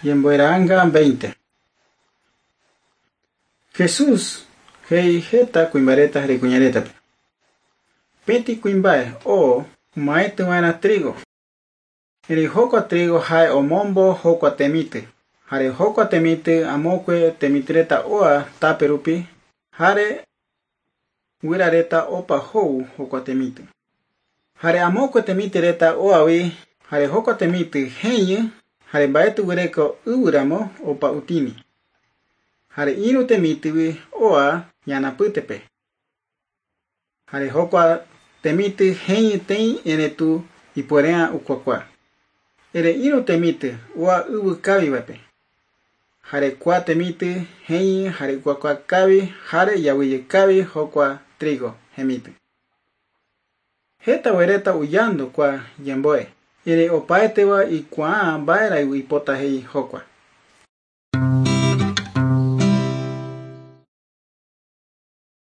Ñembo'era'anga 20. Jesús he'i heta kuimba'ereta ha kuñaretape. Peti kuimba'e oo omaetỹva'erã trigo. Erei jokua trigo ha'e omombo jokua temitỹ. Jare jokua temitỹ amokue temitỹreta oa tape rupi jare guyrareta opa ho'u jokua temitỹ. Jare amokue temitỹreta oavi jare jokua temitỹ heñy jare mba'etyguereko yvyramo opa utini. Jare irũ temitỹgui oa ñanapytépe. Jare jokua temitỹ heñytei eretu ipuere'ã ukuakua. Ere irũ temitỹ oa yvy kavivape. Jare kua temitỹ heñy jare ukuakua kavi jare ijaguyjekavi jokua trigo hemitỹ. Heta guereta uyandu kua ñembo'e, ere opaeteva ikuaa mba'erã oipota he'i jokua.